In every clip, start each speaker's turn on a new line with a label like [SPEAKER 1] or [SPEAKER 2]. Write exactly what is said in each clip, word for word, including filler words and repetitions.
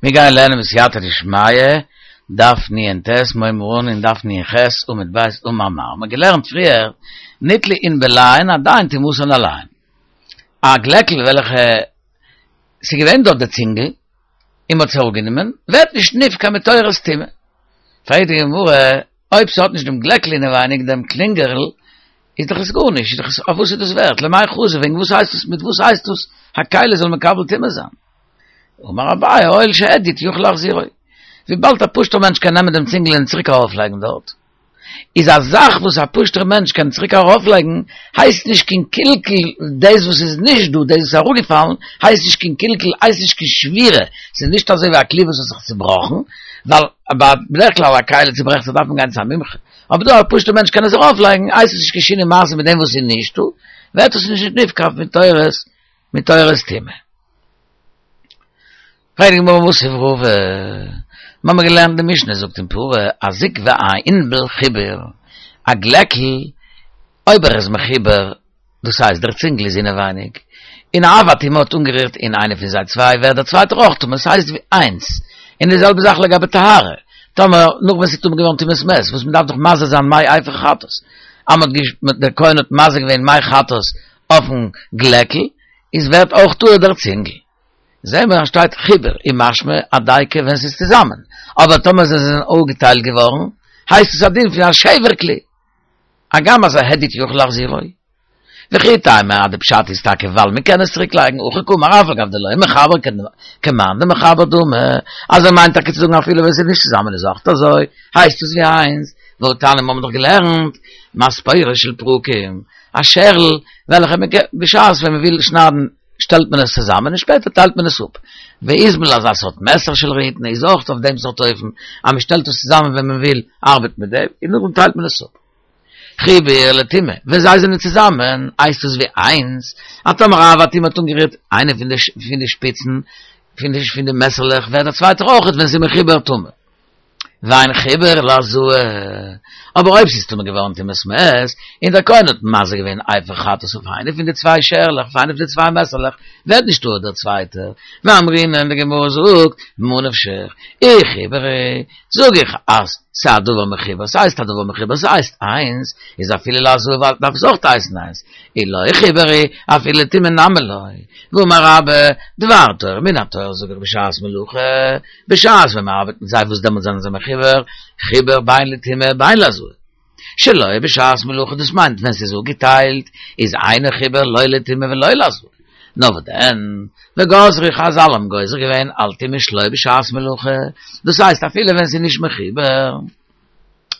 [SPEAKER 1] מיר גייען לערנען בסייעתא דשמיא, דף נ"ט, מ'הייבן אן אין דף נ"ח, עמוד ב', אמר מר. מ'האט געלערנט פריער, ניטלו ענבליהן עדיין טומאתן עליהן. א גלעקל וועלכע ס'איז געווען דארט די צינגל, און מ'האט עס אראפגענומען, ווערט נישט נפקע מתורת טומאה. פרעגט די גמרא, אויב ס'האט נישט דעם גלעקל אינעווייניג, דעם קלינגערל, איז דאך עס גארנישט, איז דאך עס, אויף וואס איז דאס ווערט? למאי חזי, וועגן וואס הייסט עס, מיט וואס הייסט דאס א כלי זאל מקבל טומאה זיין? אמר אביי, הואיל שהדיוט יכול להחזירו. וויבאלד א פשוט'ער מענטש קען נעמען דעם צינגל און צוריק ארויפלייגן דארט, איז א זאך וואס א פשוט'ער מענטש קען צוריק ארויפלייגן, הייסט נישט קיין קלקול, דאס וואס איז נישט דא, דאס וואס איז אראפגעפאלן, הייסט נישט קיין קלקול, הייסט נישט קיין שבירה, ס'איז נישט אזוי ווי א כלי וואס האט זיך צובראכן, ווייל בדרך כלל א כלי צוברעכט זיך דארף מען גיין צו א מומחה, אבער דא א פשוט'ער מענטש קען עס ארויפלייגן, הייסט עס נישט קיין שינוי מעשה מיט דעם וואס איז נישטא, ווערט עס נישט נפקע מתורת מתורת טומאה. פרעגט די גמרא מתיב רבא, מיר האבן געלערנט די משנה זאגט אין פרה הזוג והענבל חיבור, א גלעקל אויב ער איז מחובר, דאס הייסט דער צינגל איז אינעווייניג, און אב הטומאה האט אנגערירט אין איינע פון זיי צוויי ווערט דער צווייטער אויך טמא, ס'הייסט ווי איינס, און די זעלבע זאך לגבי טהרה, טאמער נאך ווען ס'איז טמא געווארן טומאת מת, וואס מ'דארף דאך מזה זיין מי אפר חטאת, אז מ'האט דער כהן האט מזה געווען מי חטאת אויפן גלעקל, איז ווערט אויך טהור דער צינגל. זעהן מיר אז שטייט חיבור איז משמע אז דייקא ווען ס'איז צוזאמען, אבער טאמער זיי זענען אפגעטיילט געווארן, הייסט עס א דין פון א שבר כלי. הגם אז א הדיוט יכול להחזירו. וכי תימא אז די פשט איז טאקע ווייל מען קען עס צוריק לייגן, הכי קאמר אף על גב דלא מחבר כמאן דמחבר דמי, אז ער מיינט טאקע צו זאגן אפילו ווען ס'איז נישט צוזאמען איז אויך אזוי, הייסט עס ווי איינס, והא תניא מיר האבן דאך געלערנט מספרות של פרקים, א שערל וועלכע מען בשעת ווען מען וויל שניידן שטעלט מען עס צוזאמען און שפעטער טיילט מען עס אפ. ואיזמל אזא סארט מעסער של ריהטין איז אויך אויף דעם סארט אופן אז מען שטעלט עס צוזאמען ווען מען וויל ארבעטן מיט דעם און נאכדעם טיילט מען עס אפ. חיבור לטומאה, ווען זיי זענען צוזאמען הייסט עס ווי איינס, אז טאמער אב הטומאה האט אנגערירט איינע פון די שפיצן פון די מעסערלעך ווערט דער צווייטער אויך ווען ס'איז מחובר טמא. ואין חיבור להזאה, אבער אויב ס'איז טמא געווארן טומאת מת, און דער כהן האט מזה געווען אפר חטאת אויף איינע פון די צוויי שערלעך, אויף איינע פון די צוויי מעסערלעך, ווערט נישט טהור דער צווייטער. ואמרינן, די גמרא זאגט, ממה נפשך, אי חיבור הוא, זאג איך אז ס'איז א דבר מחובר, ס'הייסט א דבר מחובר, ס'הייסט איינס, איז אפילו להזאה דארף עס אויך הייסן איינס, אי לא חיבור הוא, אפילו לטומאה נמי לא. ואמר רבה, דבר תורה מן התורה זאג איך בשעת מלאכה, בשעת ווען מ'ארבעט מיט זיי וואס דעמאלט זענען זיי מחובר, חיבור בין לטומאה בין להזאה. שלא בשעת מלאכה דאס מיינט ווען ס'איז אפגעטיילט איז אינו חיבור לא לטומאה ולא להזאה. נאר וואס דען, וגזרו חזל האבן גוזר געווען על טומאה שלא בשעת מלאכה, דאס הייסט אפילו ווען ס'איז נישט מחובר,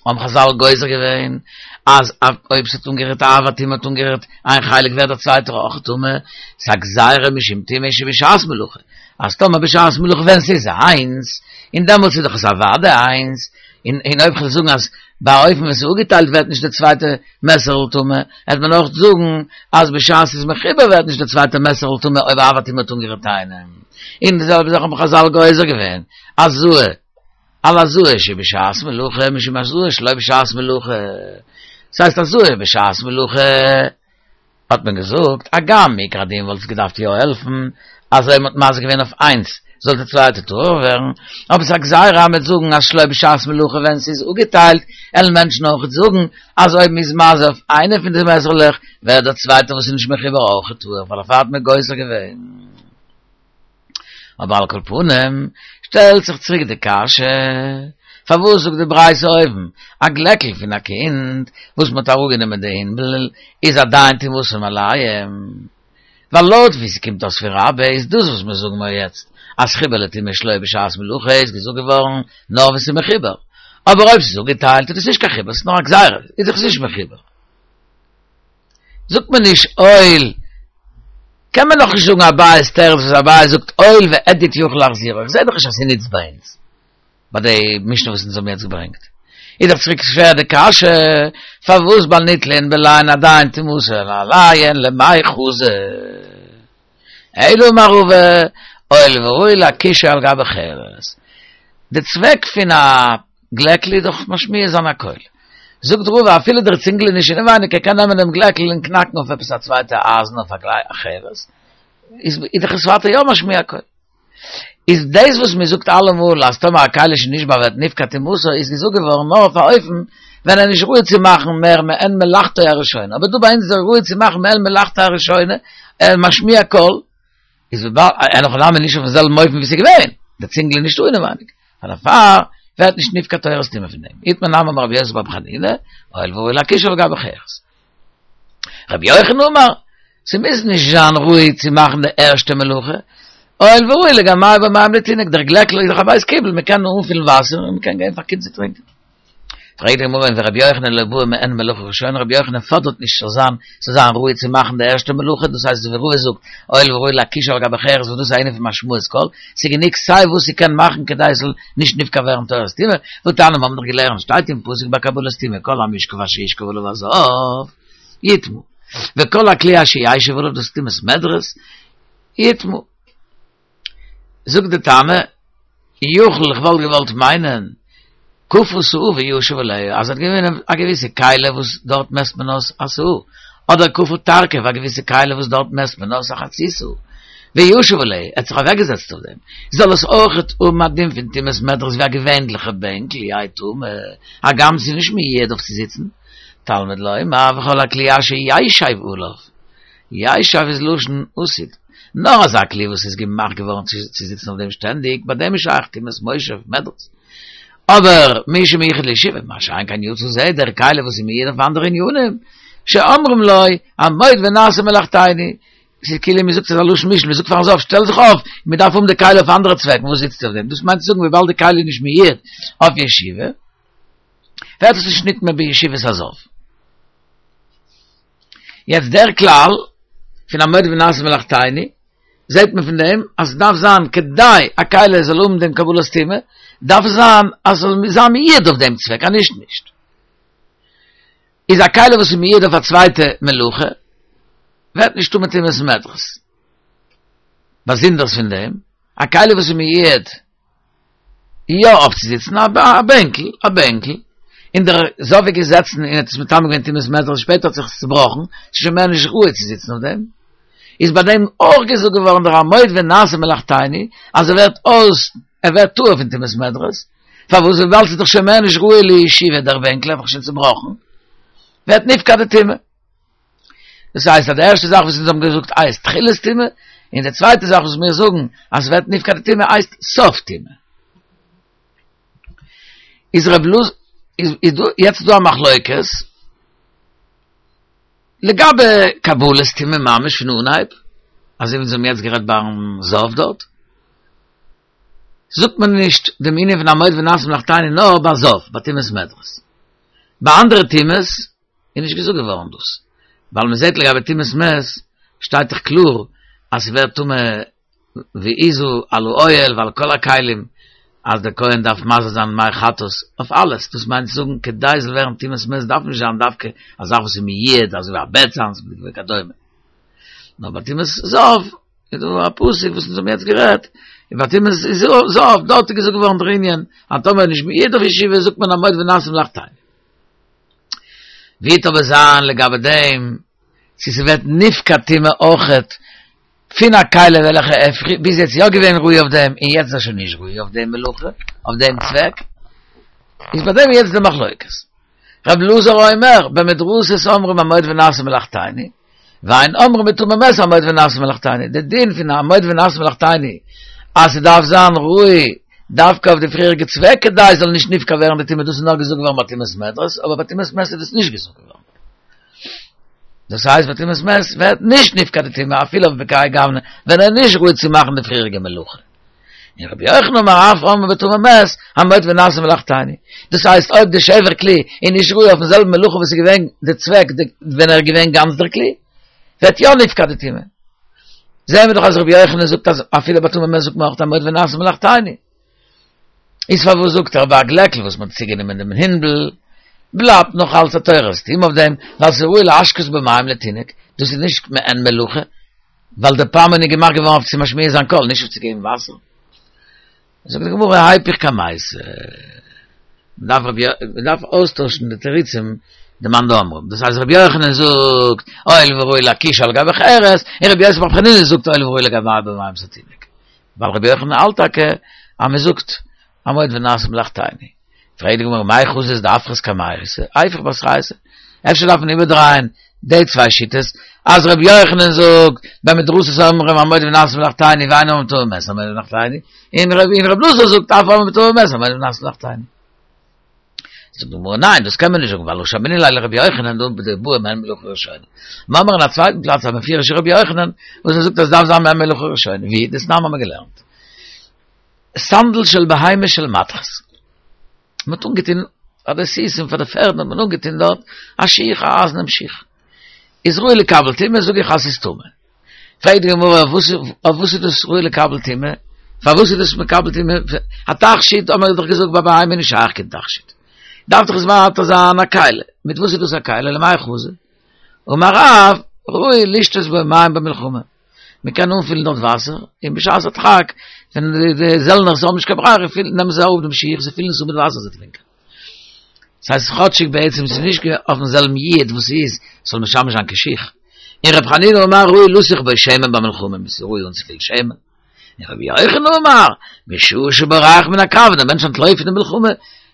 [SPEAKER 1] האבן חזל גוזר געווען אז אויב ס'האט אנגערירט אב הטומאה האט אנגערירט איין חלק ווערט דער צווייטער אויך טמא, ס'איז א גזירה משום טומאה שבשעת מלאכה, אז טאמער בשעת מלאכה ווען ס'איז איינס, און דעמאלטס איז דאך עס אוודאי איינס, און און אויב כ'וועל זאגן אז ביי א אופן ווען ס'איז אפגעטיילט ווערט נישט די צווייטע מעסערל טמא, העט מען אויך זאגן אז בשעת ס'איז מחובר ווערט נישט די צווייטע מעסערל טמא אויב אב הטומאה האט אנגערירט איינעם. און די זעלבע זאך האבן חזל גוזר געווען, הזאה על הזאה שבשעת מלאכה משום הזאה שלא בשעת מלאכה, ס'הייסט הזאה בשעת מלאכה האט מען געזאגט, הגם מעיקר הדין וואלט עס געדארפט יא העלפן אז אויב מ'האט מזה געווען אויף איינס זאל די צווייטע טהור ווערן, אבער ס'איז א גזירה מ'וועט זאגן אז שלא בשעת מלאכה ווען ס'איז אפגעטיילט, עלן מענטשן אויכעט זאגן אז אויב מ'איז מזה אויף איינע פון די מעסערלעך ווערט דער צווייטער וואס איז נישט מחובר אויכעט טהור ווייל דערפאר האט מען גוזר געווען. אבער על כל פנים, שטעלט זיך צוריק די קשיא, פארוואס זאגט די ברייתא אויבן, א גלעקל פון א קינד וואס מ'האט אראפגענומען די ענבל איז עדיין טומאתן עליהם? ווייל לויט ווי ס'קומט אויס פון רבה איז דאס וואס מיר זאגן מיר יעצט, אז חיבור לטומאה שלא בשעת מלאכה איז געזאגט געווארן נאר ווען ס'איז מחובר, אבער אויב ס'איז אפגעטיילט איז דאס נישט קיין חיבור, ס'איז נאר א גזירה, איז דאך עס נישט מחובר. זאגט מען נישט הואיל, קען מען נאך נישט זאגן אביי'ס תירוץ וואס אביי זאגט הואיל והדיוט יכול להחזירו, איך זעה דאך נישט אז ס'נוצט ביי אונז, ביי די משנה וואס אונז האבן יעצט געברענגט. איז דאך צוריק שווער די קשיא, פארוואס ביי ניטלו ענבליהן עדיין טומאתן עליהן למאי חזי? אלא אמר רבא, הואיל וראוי להקישו על גבי חרס. די צוועק פון א גלעקל איז דאך משמיע זיין א קול. זאגט רבא אפילו דער צינגל איז נישט אינעווייניג ער קען נעמען דעם גלעקל און קנאקן אויף עפעס א צווייטע אייזן אויף א חרס, איז דאך עס ווייטער יא משמיע א קול. איז דאס וואס מען זאגט אלעמאל אז טאמער א כלי שנשבר ווערט נפקע טומאתו איז געזאגט געווארן נאר אויף א אופן ווען ער איז נישט ראוי צו מאכן מער מעין מלאכתו הראשונה, אבער דא ביי אונז איז ער ראוי צו מאכן מעין מלאכתו הראשונה, ער איז משמיע קול, איז וויבאלד אין הכי נמי נישט אויפן זעלבן אופן ווי ס'איז געווען, דער צינגל איז נישטא אינעווייניג, פאר דערפאר ווערט נישט נפקע תורת טומאה פון דעם. איתמר נמי אמר רבי יוסי ברבי חנינא, הואיל וראוי להקישו על גבי חרס. רבי יוחנן אמר, ס'מוז נישט זיין ראוי צו מאכן די ערשטע מלאכה, הואיל וראוי לגמע בו מים לתינוק, דער גלעקל איז דאך א בית קיבול, מ'קען אנפילן וואסער און מ'קען געבן פאר קינד צו טרינקען. פרעגט די גמרא ורבי יוחנן לא בעי מעין מלאכה ראשונה, רבי יוחנן פאדערט נישט ס'זאל זיין ס'זאל זיין ראוי צו מאכן די ערשטע מלאכה, דאס הייסט ווי רבא זאגט, הואיל וראוי להקישו על גבי חרס וואס דאס איז א ענין פון השמעת קול, ס'איז גענוג סיי וואס ס'קען מאכן כדי עס זאל נישט נפקע ווערן תורת טומאה, והתניא מיר האבן דאך געלערנט שטייט אין פסוק ביי קבלת טומאה כל המשכב אשר ישכב עליו הזב יטמא וכל הכלי אשר ישב עליו דאס איז טומאת מדרס יטמא. זאגט די תנא, יכול איך וואלט געוואלט מיינען, כפה סאה וישב עליה, אז ער האט געווען א געוויסע כלי וואס דארט מעסט מען אויס א סאה, אדער כפה תרקב א געוויסע כלי וואס דארט מעסט מען אויס א חצי סאה, וישב עליה, ער האט זיך אוועקגעזעצט אויף דעם, זאל עס אויכעט האבן א דין פון טומאת מדרס ווי א געווענליכע בענקל, יהא טמא, הגם ס'איז נישט מיועד אויף צו זיצן, תלמוד לומר וכל הכלי אשר ישב עליו, ישב איז לשון עתיד. נאר אזא כלי וואס איז געמאכט געווארן צו זיצן אויף דעם שטענדיג, ביי דעם איז שייך טומאת מושב מדרס. אבער מי שמיוחד לישיבה, מה שאין כן יצא זה, דער כלי וואס איז מיועד אויף אנדערע ענינים, שאומרים לו, עמוד ונעשה מלאכתינו, ס'איז כאילו מ'זאגט ס'איז א לשון משל, מ'זאגט פארן זב שטעל זיך אויף, מ'דארף האבן די כלי אויף אנדערע צוועקן, וואס זיצסטו אויף דעם? דאס מיינט צו זאגן וויבאלד די כלי איז נישט מיועד אויף ישיבה, ווערט עס נישט נטמא בישיבת הזב. יעצט דער כלל פון עמוד ונעשה מלאכתינו, זעט מען פון דעם אז עס דארף זיין כדי א כלי זאל האבן דעם קבלת טומאה, דארף עס זיין אז עס זאל זיין מיועד אויף דעם צוועק, אז נישט נישט. איז א כלי וואס איז מיועד אויף א צווייטע מלאכה, ווערט נישט טמא טומאת מדרס. באזונדערס פון דעם, א כלי וואס איז מיועד יא אויף צו זיצן א בענקל, א בענקל, און דער זב איז געזעצן און האט עס מטמא געווען טומאת מדרס, שפעטער האט זיך עס צובראכן, ס'איז שוין מער נישט ראוי צו זיצן אויף דעם, איז ביי דעם אויך געזאגט געווארן דער עמוד ונעשה מלאכתינו, אז ער ווערט אויס, ער ווערט טהור פון טומאת מדרס, פארוואס וויבאלד ס'איז דאך שוין מער נישט ראוי לישיבה דער בענקל האט זיך שוין צובראכן, ווערט נפקע די טומאה. דאס הייסט אז די ערשטע זאך וואס אונז האבן געזאגט הייסט תחילת טומאה, און די צווייטע זאך וואס מיר זאגן אז ס'ווערט נפקע די טומאה הייסט סוף טומאה. איז רב אלעזר איז איז דא יעצט דא א מחלוקת לגבי קבלת טומאה ממש פון אנהייב, אזוי ווי אונז האבן יעצט גערעדט ביים זב דארט, זאגט מען נישט דעם ענין פון עמוד ונעשה מלאכתינו נאר ביי זב, ביי טומאת מדרס. ביי אנדערע טומאות איז נישט געזאגט געווארן דאס, ווייל מען זעט לגבי טומאת מת שטייט דאך קלאר אז ס'ווערט טמא והזה על האוהל ועל כל הכלים, אז דער כהן דארף מזה זיין מי חטאת אויף אלעס, דאס מיינט צו זאגן כדי ס'זאל ווערן טומאת מת דארף נישט זיין דווקא א זאך וואס איז מיועד אזוי ווי א בעט זיינס וכדומה, נאר ביי טומאת זב איז דא א פסוק וואס אונז האבן יעצט גערעדט, און ביי טומאת זב דארט איז געזאגט געווארן דער ענין אז טאמער נישט מיועד אויף ישיבה זאגט מען עמוד ונעשה מלאכתינו. ווי וועט אבער זיין לגבי דעם צו ס'ווערט נפקע טומאה אויכעט פון א כלי וועלכע איז ביז יעצט יא געווען ראוי אויף דעם און יעצט איז ער שוין נישט ראוי אויף דעם מלאכה אויף דעם צוועק איז ביי דעם יעצט די מחלוקת רב אלעזר אומר במדרסות אומרים עמוד ונעשה מלאכתינו ואין אומרים בטמא מת עמוד ונעשה מלאכתינו, די דין פון עמוד ונעשה מלאכתינו אז ס'דארף זיין ראוי דווקא אויף די פריעריגע צוועק כדי ס'זאל נישט נפקע ווערן די טומאה, דאס איז נאר געזאגט געווארן ביי טומאת מדרס, אבער ביי טומאת מת איז דאס נישט געזאגט געווארן. דאס הייסט ביי טומאת מת ווערט נישט נפקע די טומאה אפילו אויף בכהאי גוונא ווען ער איז נישט ראוי צו מאכן די פריעריגע מלאכה. און רבי יוחנן אומר אף אומרים בטמא מת, עמוד ונעשה מלאכתינו. דאס הייסט אויב די שבר כלי איז נישט ראוי אויפן זעלבן מלאכה וואס איז געווען די צוועק ווען ער איז געווען גאנץ דער כלי, ווערט יא נפקע די טומאה. זעהן מיר דאך אז רבי יוחנן זאגט אז אפילו ביי טמא מת זאגט מען אויך עמוד ונעשה מלאכתינו. איז פארוואס זאגט ער ביי א גלעקל וואס מען האט צוגענומען דעם הינדל בלייבט נאך אלץ א תורת טומאה אויף דעם ווייל ס'איז ראוי להשקות בו מים לתינוק, דאס איז נישט מעין מלאכה, ווייל דער פעמון איז געמאכט געווארן אויף צו משמיע זיין קול, נישט אויף צו געבן וואסער. זאגט די גמרא היפוך קמייתא, מ'דארף רבי מ'דארף אויסטוישן די תירוצים די מאן דאמרים, דאס הייסט רבי יוחנן זאגט הואיל וראוי להקישו על גבי חרס, און רבי יוסי ברבי חנינא זאגט הואיל וראוי לגמע בו מים לתינוק. ווייל רבי יוחנן האלט טאקע אז מען זאגט המועד ונעשה מלאכתינו. פרעגט די גמרא מאי חזית דאפכת קמייתא, איפוך בתרייתא. אפשר דארף מען איבערדרייען די צוויי שיטות, אז רבי יוחנן זאגט במדרסות אומרים המועד ונעשה מלאכתינו ואין אומרים בטמא מת המועד מלאכתינו, און רבי אלעזר זאגט אף אומרים בטמא מת המועד ונעשה מלאכתינו. זאגט די גמרא ניין דאס קען מען נישט זאגן ווייל הא שמעינן ליה לרבי יוחנן דבעי מעין מלאכה ראשונה. מ'האמיר אין א צווייטן פלאץ א מפורש'ע רבי יוחנן וואס ער זאגט אז ס'דארף זיין מעין מלאכה ראשונה, ווי? דתנן האמיר געלערנט. סנדל של בהמה של מתכות. מ'האט אנגעטון פאר די סוסים פאר די פערדן האט מען אנגעטון דארט א שיך א אייזענעם שיך. איז ראוי לקבל טומאה זאג איך אז ס'איז טמא. פרעגט די גמרא אויף וואס איז דאס ראוי לקבל טומאה? פארוואס איז דאס מקבל טומאה? א תכשיט האט מען דאך געזאגט ביי בהמה איז נישט שייך קיין תכשיט. דארף דאך עס ווייטער זיין א כלי. מיט וואס איז דאס א כלי? למאי חזי? אמר רב, ראוי לשתות בו מים במלחמה. מען קען אנפילן דארט וואסער, און בשעת הדחק, ווען די זעלנערס האבן נישט קיין ברירה, נעמען זיי אראפ דעם שיך, זיי פילן עס אן מיט וואסער זיי טרינקען. ס'הייסט כאטשיג בעצם ס'איז נישט אויפן זעלבן יעוד וואס ס'איז, ס'זאל משמש זיין כשיך. און ר' חנינא אמר ראוי לסוך בו שמן במלחמה, ס'איז ראוי אנצופילן שמן. און רבי יוחנן אמר, בשעה שבורח מן הקרב, ווען דער מענטש אנטלויפט פון די מלחמה,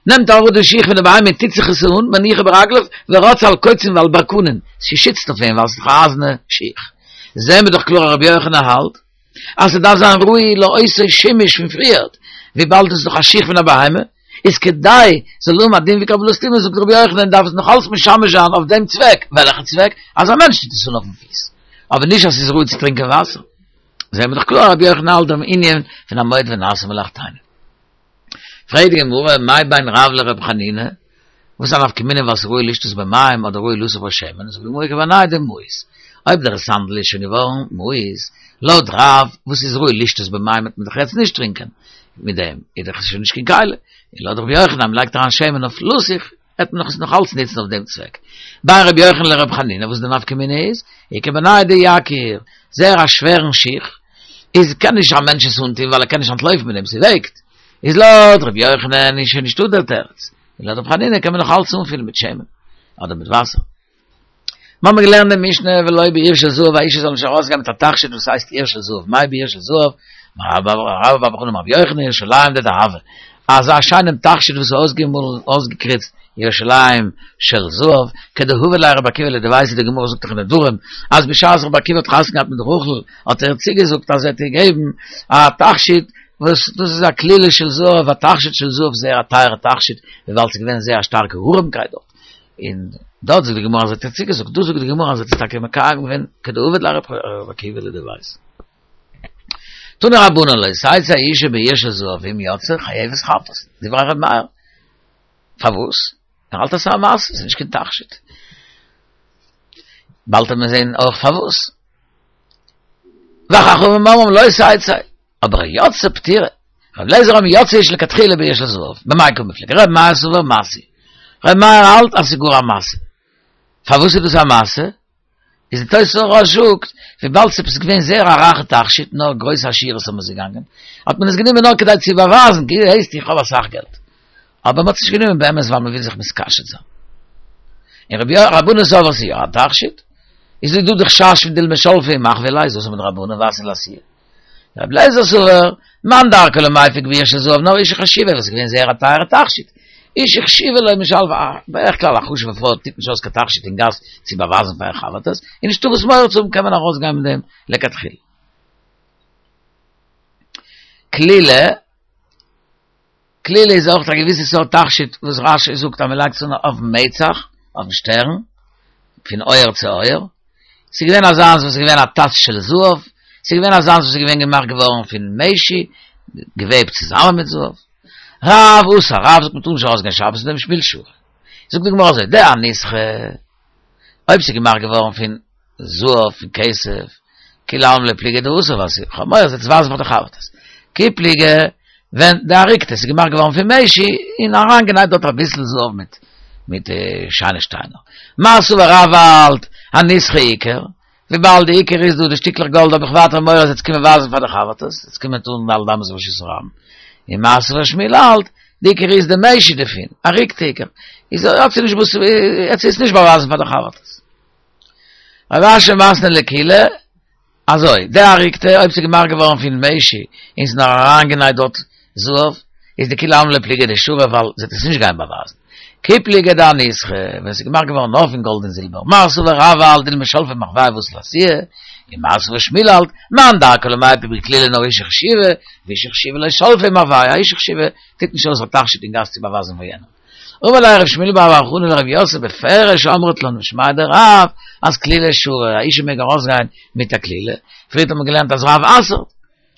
[SPEAKER 1] נעמט ער אראפ די שיך פון די בהמה און טוט זיך עס אן, מניחו ברגליו, ורץ על קוצים ועל ברקנים, ס'שיצט אויף אים ווייל ס'איז דאך א אייזערנע שיך. זעהן מיר דאך קלאר אז רבי יוחנן האלט אז ס'דארף זיין ראוי לאותו שימוש פון פריערט, וויבאלד עס איז דאך א שיך פון א בהמה, איז כדי ס'זאל האבן א דין ווי קבלת טומאה זאגט רבי יוחנן דארף עס נאך אלץ משמש זיין אויף דעם צוועק, וועלכע צוועק? אז א מענטש טוט עס אן אויפן פיס, אבער נישט אז ס'איז ראוי צו טרינקען וואסער. זעהן מיר דאך קלאר אז רבי יוחנן האלט דעם ענין פון המועד ונעשה מלאכתינו. פרעגט די גמרא, מאי בין רב לר' חנינא, וואס איז א נפקא מינה ווייל ס'איז ראוי לשתות בו מים אדער ראוי לסוך בו שמן, זאגט די גמרא איכא בינייהו דמאיס, אויב דער סנדל איז שוין געווארן מאוס, לויט רב וואס איז ראוי לשתות בו מים וועט מען דאך יעצט נישט טרינקען מיט דעם, איז דאך עס שוין נישט קיין כלי, און לויט רבי יוחנן אז מ'לייגט אריין שמן אויף לסוך, וועט מען עס נאך אלץ נוצן אויף דעם צוועק. בין רבי יוחנן לרבי חנינא וואס די נפקא מינה איז, איכא בינייהו דיקיר, זייער א שווערן שיך, איז קען נישט א מענטש עס אנטון ווייל ער קען נישט אנטלויפן מיט דעם, ס'וועגט, איז לויט רבי יוחנן איז שוין נישטא דער תירוץ, און לויט רבי חנינא קען מען נאך אלץ אנפילן מיט שמן אדער מיט וואסער. מיר האבן געלערנט די משנה ולא בעיר של זהב, א אישה זאל נישט ארויסגיין מיט א תכשיט וואס הייסט עיר של זהב, מאי בעיר של זהב, אמר רבה בר בר חנה אמר רבי יוחנן ירושלים דדהבא, אזא שיינעם תכשיט וואס איז אויסגעמאלן אויסגעקריצט ירושלים של זהב, כדהבא ליה רבי עקיבא לדביתהו, די גמרא זאגט דאך אין נדרים אז בשעת רבי עקיבא האט חתונה געהאט מיט רחל האט ער איר צוגעזאגט אז ער וועט איר געבן א תכשיט וואס דאס איז א כלילה של זהב, א תכשיט של זהב, זייער א טייערע תכשיט, וויבאלד ס'איז געווען זייער א שטארקע ארעמקייט דארט. און דארט זאגט די גמרא אז ער האט איר צוגעזאגט, דא זאגט די גמרא אז ער האט עס טאקע מקיים געווען כדהבא ליה רבי עקיבא לדביתהו. תנו רבנן לא תצא אשה בעיר של זהב ואם יצאה חייבת חטאת, דברי ר' מאיר. פארוואס? ער האלט אז ס'איז א משא, ס'איז נישט קיין תכשיט. באלד וועט מען זען אויך פארוואס. וחכמים אומרים לא תצא, אבער יצאה פטורה. רבי אליעזר אומר יוצאה אשה לכתחילה בעיר של זהב, במאי קמיפלגי, רבי מאיר סבר משוי. רבי מאיר האלט אז ס'איז גאר א משא. פארוואס איז דאס א משא? איז די תוספות הרא"ש זאגט, וויבאלד ס'איז געווען זייער א רייכע תכשיט, נאר גרויסע עשירות האבן עס געגאנגען, האט מען עס גענומען נאר כדי צו באווייזן, כאילו הייסט איך האב אסאך געלט. אבער מ'האט עס נישט גענומען באמת ווייל מ'וויל זיך מתקשט זיין. און רבי רבנן סברי ס'איז יא א תכשיט, איז דא די חשש פון דילמא שלפי ומחוי ליה, איז אסור מדרבנן ואתי לאתויי. רבי אליעזר סבר, מאן דרכיה למיפק בעיר של זהב, נאר אשה חשובה וואס איז געווען זייער א טייערע תכשיט. אשה חשובה לא משלפא, בדרך כלל א חשוב'ע פרוי טוט נישט אויס קיין תכשיט אין גאס צו באווייזן פאר איר חבר'טעס, און נישטא וואס מורא צו האבן קען מען ארויסגיין מיט דעם לכתחילה. כלילה. כלילה איז אויך א געוויסע סארט תכשיט וואס רש"י זאגט אז מען לייגט עס אן אויפן מצח, אויפן שטערן, פון אויער צו אויער. ס'איז געווען אזאנס וואס איז געווען א טס של זהב, ס'איז געווען אזאנס וואס איז געווען געמאכט געווארן פון משי, געוועבט צוזאמען מיט זהב. רב אסר, רב זאגט מען טאר נישט ארויסגיין שבת מיט דעם ושמואל שרי. זאגט די גמרא אזוי, דאניסחא, אויב ס'איז געמאכט געווארן פון זהב, פון כסף, כולי עלמא לא פליגי דאסור, ווייל ס'איז כ'האב מורא זיי צו ווייזן פאר די חבר'טעס. כי פליגי, ווען דאריקתא, ס'איז געמאכט געווארן פון משי, און אריינגענייט דארט אביסל זהב מיט מיט שיינע שטיינער. מר סבר רב האלט, אניסחא עיקר, וויבאלד די עיקר איז דא די שטיקלעך גאלד האב איך ווייטער מורא זיי צו קומען ווייזן פאר די חבר'טעס, זיי קומען טון ד' אמות ברשות הרבים. און מר סבר שמואל האלט, די עיקר איז די משי דערפון, אריקתא עיקר, איז האט זי נישט וואס, האט זי עס נישט באווייזן פאר די חבר'טעס. רב אשי מתני לקולא, אזוי, דאריקתא, אויב ס'איז געמאכט געווארן פון משי, און ס'איז נאר אריינגענייט דארט זהב, איז דכולי עלמא לא פליגי דשרי ווייל זי וועט עס נישט גיין באווייזן. כי פליגי דאניסחא, ווען ס'איז געמאכט געווארן נאר פון גאלד און זילבער, מר סבר רב האלט דילמא שלפא מחויא ואתי לאתויי, און מר סבר שמואל האלט, מאן דרכיה למיפק בכלילה נאר אשה חשובה, ואשה חשובה לא שלפא מחויא, א אשה חשובה טוט נישט אויס א תכשיט אין גאס צו באווייזן פאר יענעם. אמר ליה רב שמואל בר בר חנה לרב יוסף בפירוש אמרת לן משמיה דרב אז כלילה שרי, א אשה מעג ארויסגיין מיט א כלילה, פריערט האט מען געלערנט אז רב אסר'ט,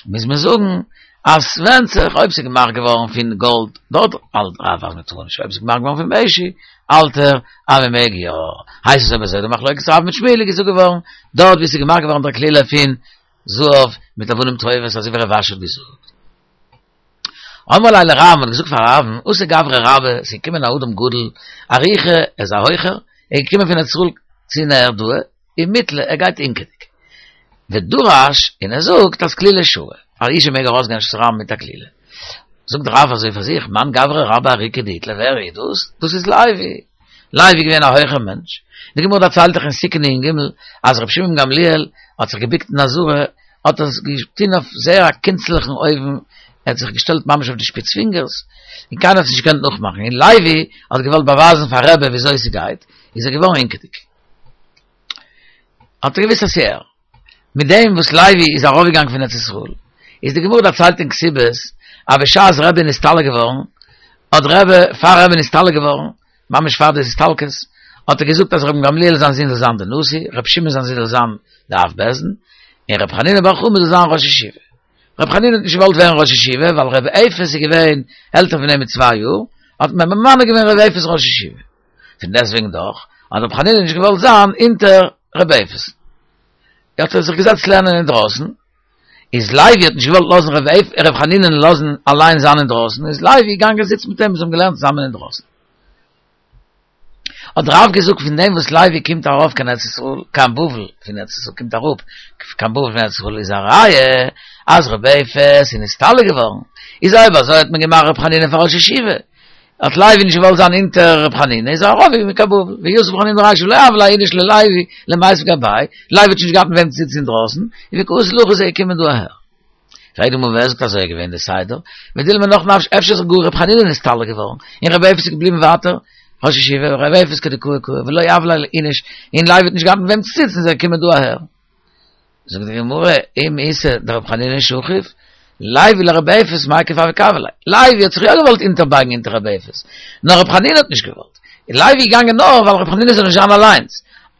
[SPEAKER 1] מוז מען זאגן אז ס'ווענדט זיך אויב ס'איז געמאכט געווארן פון גאלד, דארט האלט רב אז מ'טאר נישט, אויב ס'איז געמאכט געווארן פון משי האלט ער אז מ'מעג יא, הייסט עס אויב אזוי די מחלוקת רב מיט שמואל איז געזאגט געווארן דארט ווי ס'איז געמאכט געווארן דער כלילה פון זהב מיט אבנים טובות אזוי ווי רב אשי האט געזאגט. אמרו ליה לרב, מ'האט געזאגט פאר רב'ן, אתא גברא רבה, ס'איז געקומען א אדם גדול, אריכא, ער איז א הויכער, ער איז געקומען פון ארץ ישראל צו נהרדעא, ומתלי, ער גייט הינקעדיג. ודרש, און ער זאגט אז כלילה שרי, א אישה מעג ארויסגיין רשות הרבים מיט א כלילה. זאגט רב אזוי פאר זיך, מאן גברא רבה אריקא דאיתלי, ווער איז דאס? דאס איז לוי. לוי איז געווען א הויכער מענטש. די גמרא דערציילט דאך אין סוכה נ"ג אז רבי שמעון גמליאל האט זיך געבוקט אין עזרה, האט ער עס געטון אויף זייער א קונצליכן אופן, ער האט זיך געשטעלט ממש אויף די שפיץ פינגערס, און קיינער האט עס נישט געקענט נאכמאכן, און לוי האט געוואלט באווייזן פאר רבי וויאזוי ס'גייט, איז ער געווארן הינקעדיג. האט ער געוואוסט אז ס'איז ער. מיט דעם וואס לוי איז ארויפגעגאנגען פון ארץ ישראל, איז די גמרא דערציילט אין כתובות, אז בשעת רבי איז נסתלק געווארן, האט רבי, פאר רבי איז נסתלק געווארן, ממש פאר די הסתלקות, האט ער געזאגט אז רבן גמליאל זיין זון זאל זיין די נשיא, רבי שמעון זיין זון זאל זיין די אב בית דין, און רבי חנינא בר חמא זאל זיין ראש ישיבה. רבי חנינא האט נישט געוואלט ווערן ראש ישיבה, ווייל רבי אפס איז געווען עלטער פון אים מיט צוויי יאר, האט מען ממנה געווען רבי אפס ראש ישיבה. פון דעסטוועגן דאך, האט רבי חנינא נישט געוואלט זיין אונטער רבי אפס. האט ער זיך געזעצט לערנען אינדרויסן, איז לוי האט נישט געוואלט לאזן ר' חנינא'ן לאזן אליין זיין אינדרויסן, איז לוי געגאנגען זיצן מיט אים, זיי האבן געלערנט צוזאמען אינדרויסן. האט רב געזאגט פון דעם וואס לוי קומט ארויף קיין ארץ ישראל, קיין בבל פון ארץ ישראל, קומט אראפ קיין בבל פון ארץ ישראל איז א ראיה אז ר' אפס איז נסתלק געווארן, איז אויב אזוי האט מען געמאכט ר' חנינא פאר ראש ישיבה, האט לוי נישט געוואלט זיין אונטער ר' חנינא איז ער ארויף קיין בבל, ויתיב ר' חנינא ברישא ולא הוה ליה איניש ללוי למיתב גביה, לוי האט שוין נישט געהאט מיט וועם צו זיצן אינדרויסן, און וקאתי להכא איז ער געקומען דא אהער. פרעגט די גמרא ווער זאגט אזוי איז געווען די סדר, ודילמא נח נפשיה אפשר איז גאר ר' חנינא נסתלק געווארן, און ר' אפס איז געבליבן ווייטער ראש ישיבה, ר' אפס כדקאי קאי ולא הוה ליה איניש, און לוי האט נישט געהאט מיט וועם צו זיצן איז ער געקומען דא אהער. זאגט די גמרא, אם איתא דרב חנינא שכיב, לוי לרבי אפס מיכף הוה קאי עליה. לוי האט זיך יא געוואלט אונטערבייגן אונטער רבי אפס, נאר רב חנינא האט נישט געוואלט. איז לוי געגאנגען נאר ווייל רב חנינא זאל נישט זיין אליינס.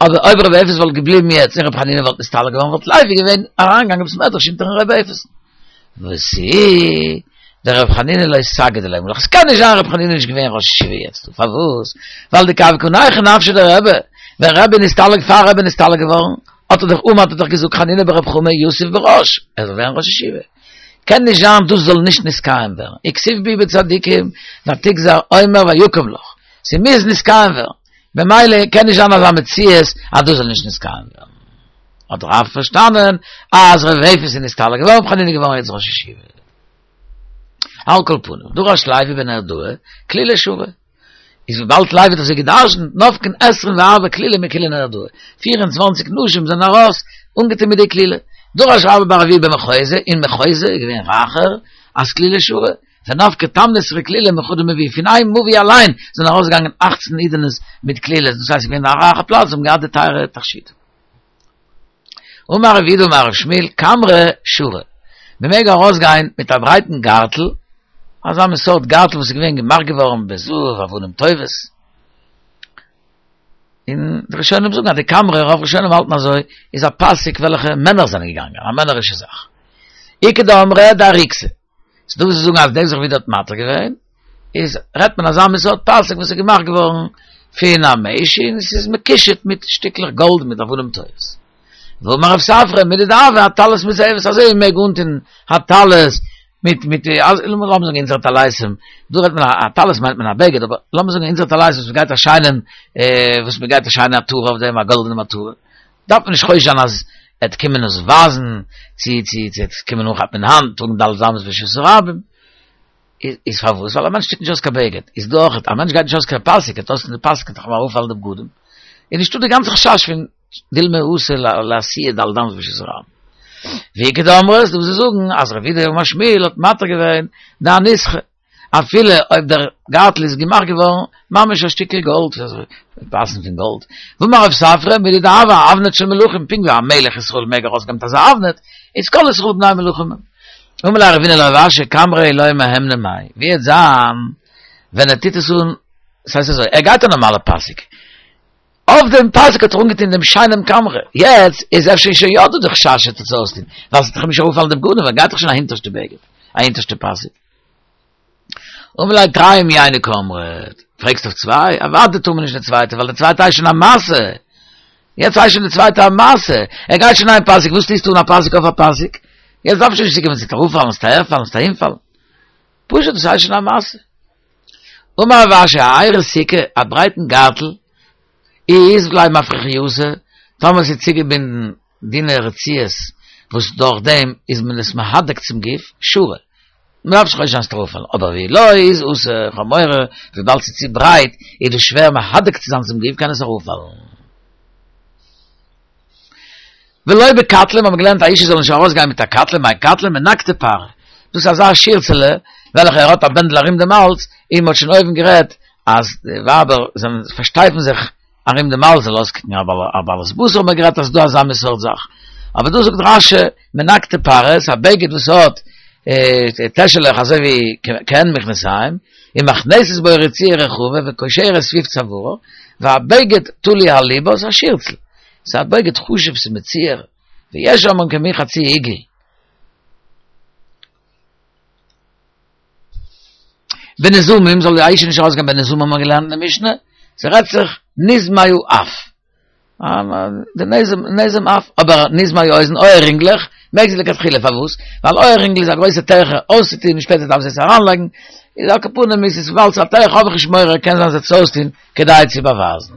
[SPEAKER 1] אבער אויב רבי אפס וואלט געבליבן יעצט און רב חנינא וואלט נסתלק געווארן וואלט לוי געווען אריינגעגאנגען בית מדרש אונטערן רבי אפס. ותו דרב חנינא לא סגיד עליה מהלך. עס קען נישט זיין רב חנינא איז נישט געווען ראש ישיבה יעצט דא. פארוואס? ווייל דכי הוה קא נייחא נפשיה דרבי. ווען רבי נסתלק פאר רבי נסתלק געווארן האט ער דאך אמר האט ער דאך געזאגט חנינא ברב חמא יתיב בראש ער זאל ווערן ראש ישיבה. קען נישט זיין דאס זאל נישט נתקיים ווערן. וכתיב בהו בצדיקים ותגזר אומר ויקם לך. ס'מוז נתקיים ווערן. במילא קען נישט זיין אזא מציאות אז דאס זאל נישט נתקיים ווערן. האט רב פארשטאנען אז ר' אפס איז נסתלק געווארן, ר' חנינא איז געווארן יעצט ראש ישיבה. על כל פנים, דרש לוי בנהרדעא, כלילה שרי. איז וויבאלד לוי האט אזוי געדרשנט, נפקן עשרים וארבע כלילי מכולה נהרדעא, פיר און צוואנציג נשים זענען ארויס אנגעטון מיט די כלילה. דרש רבה בר אבוה במחוזא, אין מחוזא איז געווען רייכער, אז כלילה שרי. ונפקי תמנתרי כלילי מחדא מבואה, פון איין מבוי אליין זענען ארויסגעגאנגען אכצן אידענעס מיט כלילות, דאס הייסט ס'איז געווען א רייכע פלאץ, זיי האבן געהאט די טייערע תכשיטים. אמר רב יהודה אמר רב שמואל, כמרא שרי, מען מעג ארויסגיין מיט א ברייטן גארטל, אזא מין סארט גארטל וואס איז געווען געמאכט געווארן בזהב אבנים טובות, און די ראשונים זאגן אז די כמרא, רוב ראשונים האלטן אזוי, איז א פאסיק וועלכע מענער זענען געגאנגען, א מענערישע זאך. איכא דאמרי דאריקתא, ס'דא וואס זאגן אז דאס וואס רב יהודה האט מתיר געווען, איז רעדט מען אזא מין סארט פאסיק וואס איז געמאכט געווארן פון א משי און עס איז מקושט מיט שטיקלעך גאלד מיט אבנים טובות. ואמר רב ספרא מידי דהוה אטלית מזהבת אזוי ווי מ'מעג אנטון א טלית מיט מיט לאמיר זאגן אונזערע טליתים, דא רעדט מען א טלית מיינט מען א בגד אבער לאמיר זאגן אונזערע טלית וואס מ'גייט א שיינעם וואס מ'גייט א שיינע עטרה אויף דעם א גאלדענעם עטרה, דארף מען נישט חושש זיין אז ער וועט קומען עס ווייזן, צו צו צו ער וועט קומען אנכאפן אין האנט, טראגן ד' אמות ברשות הרבים. איז פארוואס? ווייל א מענטש טוט נישט אויס קיין בגד. איז דא אויך, א מענטש גייט נישט אויס קיין פאסיק, ער טוט אויס די פאסיק וועט דאך אים אראפפאלן די בגדים. איז נישטא די גאנצע חשש פון דילמא אתי לאתויי ד' אמות ברשות הרבים. ואיכא דאמרי, ס'דא וואס זאגן אז רב יהודה אמר שמואל האט מתיר געווען דאניסכא. אפילו אויב דער גארטל איז געמאכט געווארן ממש א שטיקל גאלד, פאסן פון גאלד. ואמר רב ספרא, מידי דהוה אבנט של מלכים, פונקט ווי א מלך ישראל מעג ארויסגיין מיט אזא אבנט, איז כל ישראל בני מלכים. אמר ליה רבינא לרב אשי, כמרא לא מהימנא מאי, ווי וועט זיין ווען ער טוט עס אן, ס'הייסט אזוי, ער גייט א נארמאלע פאסיק, אויף דעם פאסיק האט ער אנגעטון דעם שיינעם כמרא, יעצט איז אפשר שוין יא דא די חשש ער טוט עס אויסטון, ווייל ס'וועט דאך אים נישט אראפפאלן די בגדים, ער גייט דאך שוין א הינטערשטע בגד, א הינטערשטע פאסיק. אמר ליה תרי מיינו קאמרת, פרעגסט אויף צוויי? אוודאי טאר מען נישט די צווייטע, ווייל די צווייטע הייסט שוין א משא. יעצט הייסט שוין די צווייטע א משא. ער גייט שוין איין פאסיק, וואס טוסטו אן א פאסיק אויף א פאסיק? יעצט דארף שוין נישט צוקומען ס'וועט אראפפאלן, ס'וועט אהערפאלן, ס'וועט אהינפאלן. פשוט דאס הייסט שוין א משא. אמר רב אשי, איירי סיכא, א ברייטן גארטל, אי אית ליה מפרכייתא, טאמער ס'איז צוגעבינדן דינע רצועות וואס דורך דעם איז מען עס מהדק צום גוף, שרי. מ'דארף נישט חושש זיין ס'וועט אראפפאלן, אבער ואי לא איז אסור, כ'האב מורא וויבאלד ס'איז צו ברייט איז דאס שווער מהדק צו זיין צום גוף קען עס אראפפאלן. ולא בקטלא, מ'האט געלערנט א אישה זאל נישט ארויסגיין מיט א קטלא, מאי קטלא מנקטי פארע, דאס איז אזא שירצעלע וועלכע ער האט א בענדל ארום דעם האלז, און מ'האט שוין אויבן גערעדט אז די ווייבער זענען פארשטייפן זיך ארום דעם האלז זאל אויסקוקן א בעלת בשר האט מען גערעדט אז ס'איז דא אזא מין סארט זאך, אבער דא זאגט רש"י מנקטי פארע, ס'איז א בגד וואס האט טעשעלעך אזוי ווי כעין מכנסיים, ומכנסת בו רצועה רחבה וקושרת סביב צווארה, והבגד תלוי על לבה, ס'איז א שירצל, ס'איז א בגד חשוב ס'איז מצוער, ויש אומרים כמין חצי עיגול. בנזמים זאל די אישה נישט ארויסגיין בנזמים האבן מיר געלערנט אין די משנה, ס'רעדט זיך נזמי האף, די נזם נזם אף, אבער נזמי האוזן אויעררינגלעך מעג זי לכתחילה, פארוואס? ווייל אויעררינגל איז א גרויסע טרחה אויסצוטון און שפעטער דארף זי עס אריינלייגן, איז על כל פנים איז עס וויבאלד ס'איז א טרחה האב איך נישט מורא קען זיין זי וועט עס אויסטון כדי צו באווייזן.